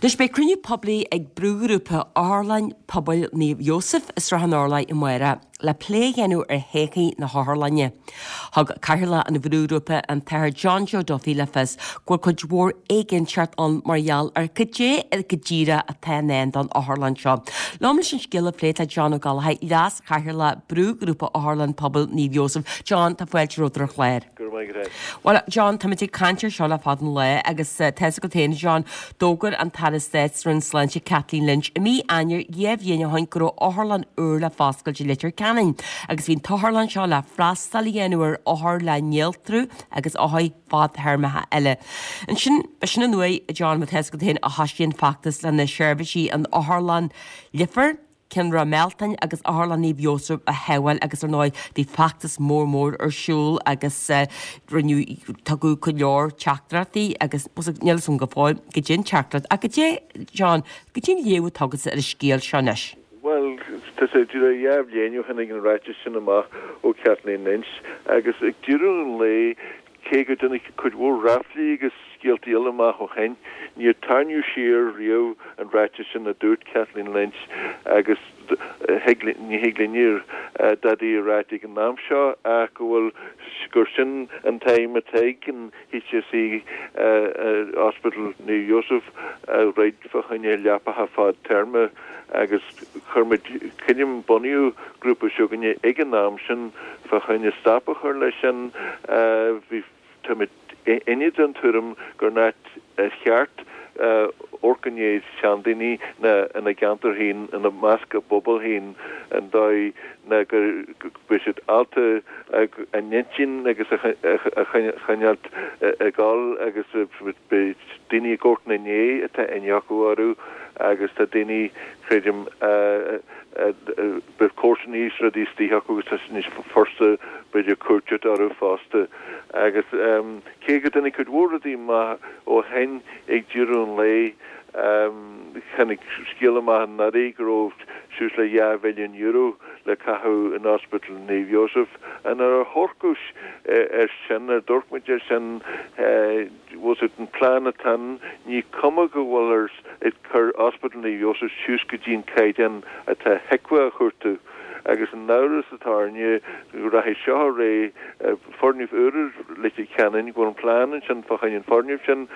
Anois beidh cruinniú poiblí ag brúghrúpa Otharlann Pobail Naomh Iósaf i Srath an Urláir amárach le plé a dhéanamh ar thodhchaí na hotharlainne. Thug Cathaoirleach an bhrúghrúpa, an tAthair John Joe Duffy le fios go bhfuil cuid mhór éiginnteacht ann mar gheall ar cad é go díreach atá i ndán don otharlann seo. Liom leis an scéal a phlé tá John Ó Gallchóir, Leas-Chathaoirleach Brúghrúpa Otharlann Pobail Naomh Iósaf. John, tá fáilte romhat ar an chlár. Go raibh maith agat. Bhuel, John, táimid ag caint air seo le fada an lá agus tá fhios agat féin, John, d'fhógair an tAire Stáit sa Roinn Sláinte, Kathleen Lynch, i mí Eanáir 2 bhliain ó shin go raibh otharlann úr le foscailt i Leitir Ceanainn agus bhí an t-otharlann seo le freastal a dhéanamh ar othair le néaltrú agus othair fadthéarmacha eile. Ansin, b'shin an uair, John, má tá fhios agat féin, a thoisigh an feachtas le na seirbhísí in Otharlann Leifear, Ceann Ráth Mealtain agus Otharlann Naomh Iósaf a shábháil agus ar ndóigh bhí feachtas mór mór ar siúl agus rinneadh, tugadh go leor teachtaireachtaí agus níl fhios agam go fóill goidé an teachtaireacht ach goidé, John, goidé an léamh atá agatsa ar an scéal seo anois. Bhuel, tá sé díreach 2 bhliain ó tháinig an ráiteas sin amach ó Kathleen Lynch agus ag deireadh an lae Cé go dtáinig cuid mhór ráflaí agus scéaltaí eile amach ó shin, níor tarraingíodh siar riamh an ráiteas sin a dúirt Kathleen Lynch agus ní thig linne dadaí a ráit ag an am seo ach go bhfuil, gur sin an t-aidhm atá ag an HSE Ospidéal Naomh Iósaf a dhruid fá choinne leapacha fadtéarma agus chuir muid, creidim, bunaíodh grúpa s'againne ag an am sin fá choinne stop a chur leis sin. Bhí, táimid uilig den tuairim gur an áit cheart amharc i ndiaidh seandaoine ná ina gceantar féin, ina measc a bpobal féin, an dóigh ná go mbeidh siad ábalta a n-intinn agus a choinneáilt ag dul agus beidh daoine ag amharc ina ndiaidh atá aithne acu orthu agus tá daoine, creidim, beidh comharsanaí is rudaí istigh acu agus tá sé níos furasta b'fhéidir cuairt a thabhairt orthu fosta. Agus cé go dtáinig cuid mhór rudaí amach ó shin ag deireadh an lae, tháinig scéal amach anuraidh go raibh suas le €2 mhilliún le caitheamh in Ospidéal Naomh Iósaf. Nuair a amharcadh air sin, nuair a d'amharc muid air sin, bhfuil fhios agat, an plean atá ann, ní cuma go bhfuilthear ag cur Ospidéal Naomh Iósaf suas go dtí an caighdeán atá HIQA a chuartú. Agus an amhras atá orainne go rachaidh seo ar aghaidh, foirgneamh úr i Leitir Ceanainn, go bhfuil an plean ansin fá choinne an foirgneamh sin,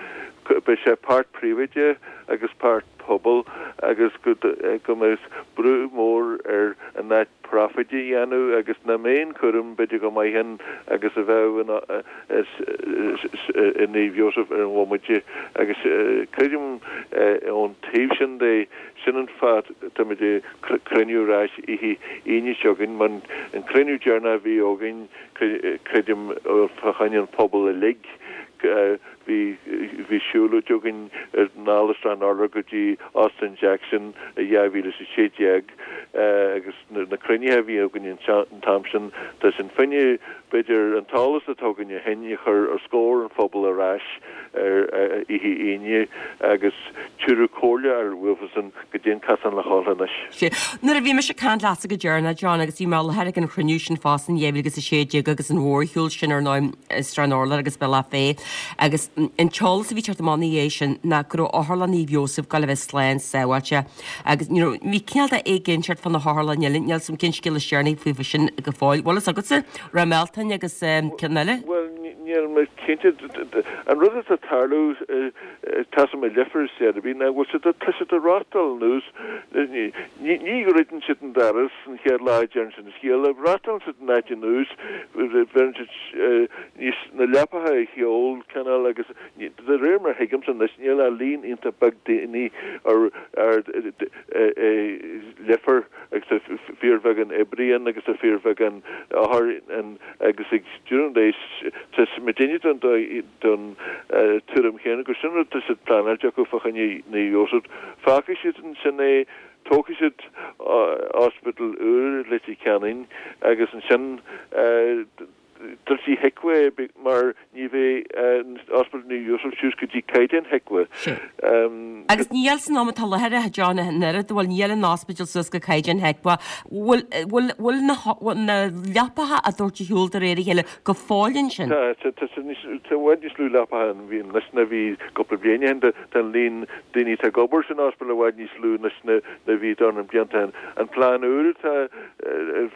beidh sé páirt príobháideach agus páirt pobail agus go mbeidh brú mór ar an áit profit a dhéanamh agus nach mbeidh an cúram b'fhéidir chomh maith ann agus a bheadh i Naomh Iósaf ar an bhomaite agus creidim ón taobh sin de sin an fáth táimid ag cruinniú ar ais oíche Aoine seo chugainn mar an cruinniú deireanach a bhí againn creidim fá choinne an pobal uilig Bhí bhí siúlóid againn anall as Srath an Urláir go dtí Óstán Jackson i 2016 agus na cruinnithe a bhí againn an t-am sin, tá sin fá choinne b'fhéidir an t-eolas atá againn ó shin a chur os comhair an phobail ar ais ar oíche Aoine agus tabharfadh comhairle ar uafasan go dtí an casán le dhul anois. Sea. Nuair a bhí mise ag caint leatsa go deireanach, John, agus bhí mé i láthair ag an chruinniú sin fosta in 2016 agus an mhórshiúl sin ar ndóigh i Srath an Urláir agus Bealach Féich agus an t-eolas a bhí ag teacht amach ina dhiaidh sin ná go raibh Otharlann Naomh Iósaf ag gabháil a bheith slán sábháilte agus you know bhí cineál de éiginnteacht fá na hotharlanna eile, níl 'fhios a'm cén scéal is deireanaí faofa sin go fóill. Bhfuil fhios agatsa? Ráth Mealtain agus ceann eile? Bhuel, níl mé cinnte. An rud atá ag tarlú, tá 'fhios a'm i Leifear is Seirby ná go bhfuil siad, tá siad ag reáchtáil anuas, ní dhruideann siad an doras an chéad lá a deireann siad an scéal, reáchtálann siad an áit anuas, bheireann siad níos, na leapacha ar shiúl, cineál agus de réir mar a thuigimse anois níl ach líon iontach beag daoine ar, ar, i Leifear agus tá fíorbheagán oibrí ann agus tá fíorbheagán othar ann agus ag deireadh an lae tá muidinne den den tuairim chéanna gur sin rud atá siad pleanáilte acu fá choinne Naomh Iósaf. Fágfaidh siad ansin é, tógfaidh siad ospidéal úr i Leitir Ceanainn agus ansin. Druidfidh HIQA é mar ní bheidh Ospidéal Naomh Iósaf suas go dtí caighdeán HIQA. Agus níl san am atá i láthair, a John, an oiread, bhfuil, níl an ospidéal suas go caighdeán HIQA. Bhfuil, bhfuil, bhfuil na, na leapacha á dtabhairt ar shiúl de réir a chéile go fóill ansin? Tá, tá, tá, tá i bhfad níos lú leapacha ann anois ná bhí cúpla bliain ó shin. Tá an líon daoine atá ag obair san ospidéal i bhfad níos lú anois ná bhí dornán blianta ó shin. An plean úr atá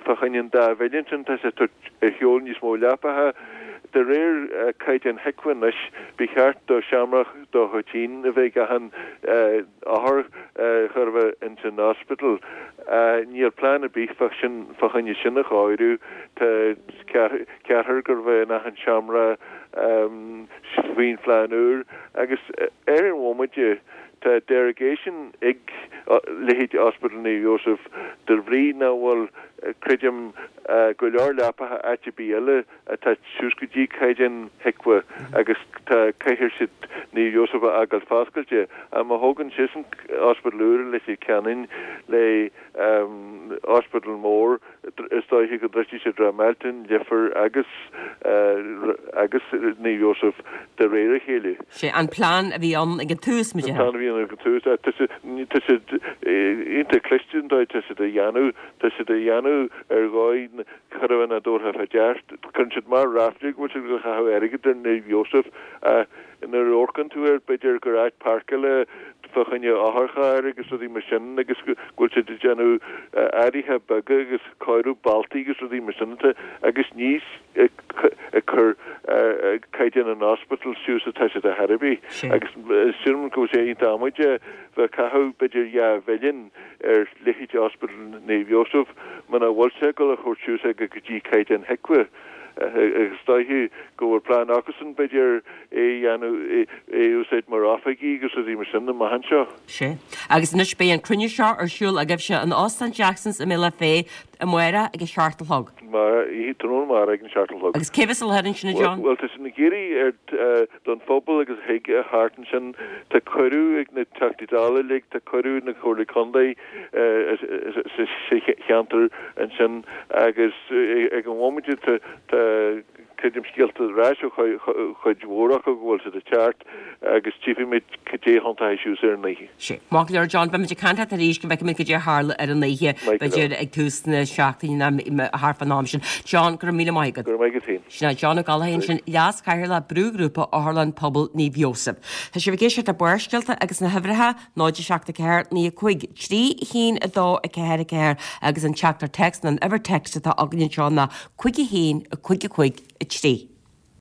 fá choinne an dá mhilliún sin, tá sé ag tabhairt ar shiúl níos mó leapacha. De réir caighdeán HIQA anois, ba cheart do sheomra do thoitín a bheith ag achan othar chóir a bheith ins an ospidéal. Níl plean ar bith fá sin, fá choinne sin a chóiriú. Tá ceathrar chóir a bheith in achan seomra faoin phlean úr agus ar an bhomaite tá derogation ag leithéid Ospidéal Naomh Iósaf de bhrí nach bhfuil, creidim, go leor leapacha áit ar bith eile atá suas go dtí caighdeán HIQA agus tá caithfidh siad Naomh Iósaf a fhágáil foscailte. Ach má thógann siadsan ospidéal úr i Leitir Ceanainn le ospidéal mór, Is dóiche go ndruidfidh siad Ráth Mealtain, Leifear agus agus Naomh Iósaf de réir a chéile. Sé an plean a bhí ann ag an tús, mar a déarfá. An plean a bhí ann ag an tús. Tá siad tá siad iontach cliste an dóigh tá siad á dhéanamh. Tá siad á dhéanamh ar dhóigh chóir a bheith nádúrtha fá dear. Cuireann siad mar ráflaí go bhfuil siad ag caitheamh airgid ar Naomh Iósaf ach nuair a amharcann tú air b'fhéidir gur áit páirceála fá choinne otharchairr agus rudaí mar sin agus go bhfuil siad ag déanamh athruithe beaga agus cóiriú bealtaí agus rudaí mar sin atá agus ní ag cur caighdeán an ospidéil suas atá siad ar chor ar bith agus sílim go bhfuil sé iontach amaideach bheith ag caitheamh b'fhéidir 2 mhilliún ar leithéid Ospidéal Naomh Iósaf muna bhfuil sé ag dul a thabhairt suas é go dtí caighdeán HIQA. Is dóiche go bhfuil plean acusan, b'fhéidir, é a dhéanamh, é a úsáid mar oifigí agus rudaí mar sin amach anseo. Sea. Agus anois beidh an cruinniú seo ar siúl agaibhse in Óstán Jackson's i mBealach Féich amárach ag a seacht a chlog. Tráthnóna amárach ag an seacht a chlog. Agus cé bheas i láthair ansin, a John? Bhuel, tá siad ag iarraidh ar don phobal agus a thig a theacht ansin. Tá cuireadh ag na Teachtaí Dála uilig, tá cuireadh ag na Comhairlí Contae sa cheantar ansin agus ag an bhomaite tá creidim scéalta ar ais ó chuid mhór acu go bhfuil siad ag teacht agus tchífimid cad é a thiontóidh suas ar an oíche. Sea. Maith go leor John, beimid ag caint leat arís go bhfeicfimid cad é a tharla ar an oíche, b'fhéidir ag tús na seachtaine nó thart fán am sin. John, go raibh míle maith agat. Go raibh maith agat féin. Sin é John Ó Gallchóir ansin, Leas-Chathaoirleach Brúghrúpa Otharlann Pobail Naomh Iósaf. Tá sibh ag éisteacht le Barrscéalta agus na huimhreacha, 0 7 4 9 5 3 1 2 4 4 agus an teachtaireacht téacs nó an uimhir text atá againn anseo ná 5 1 5 5 3.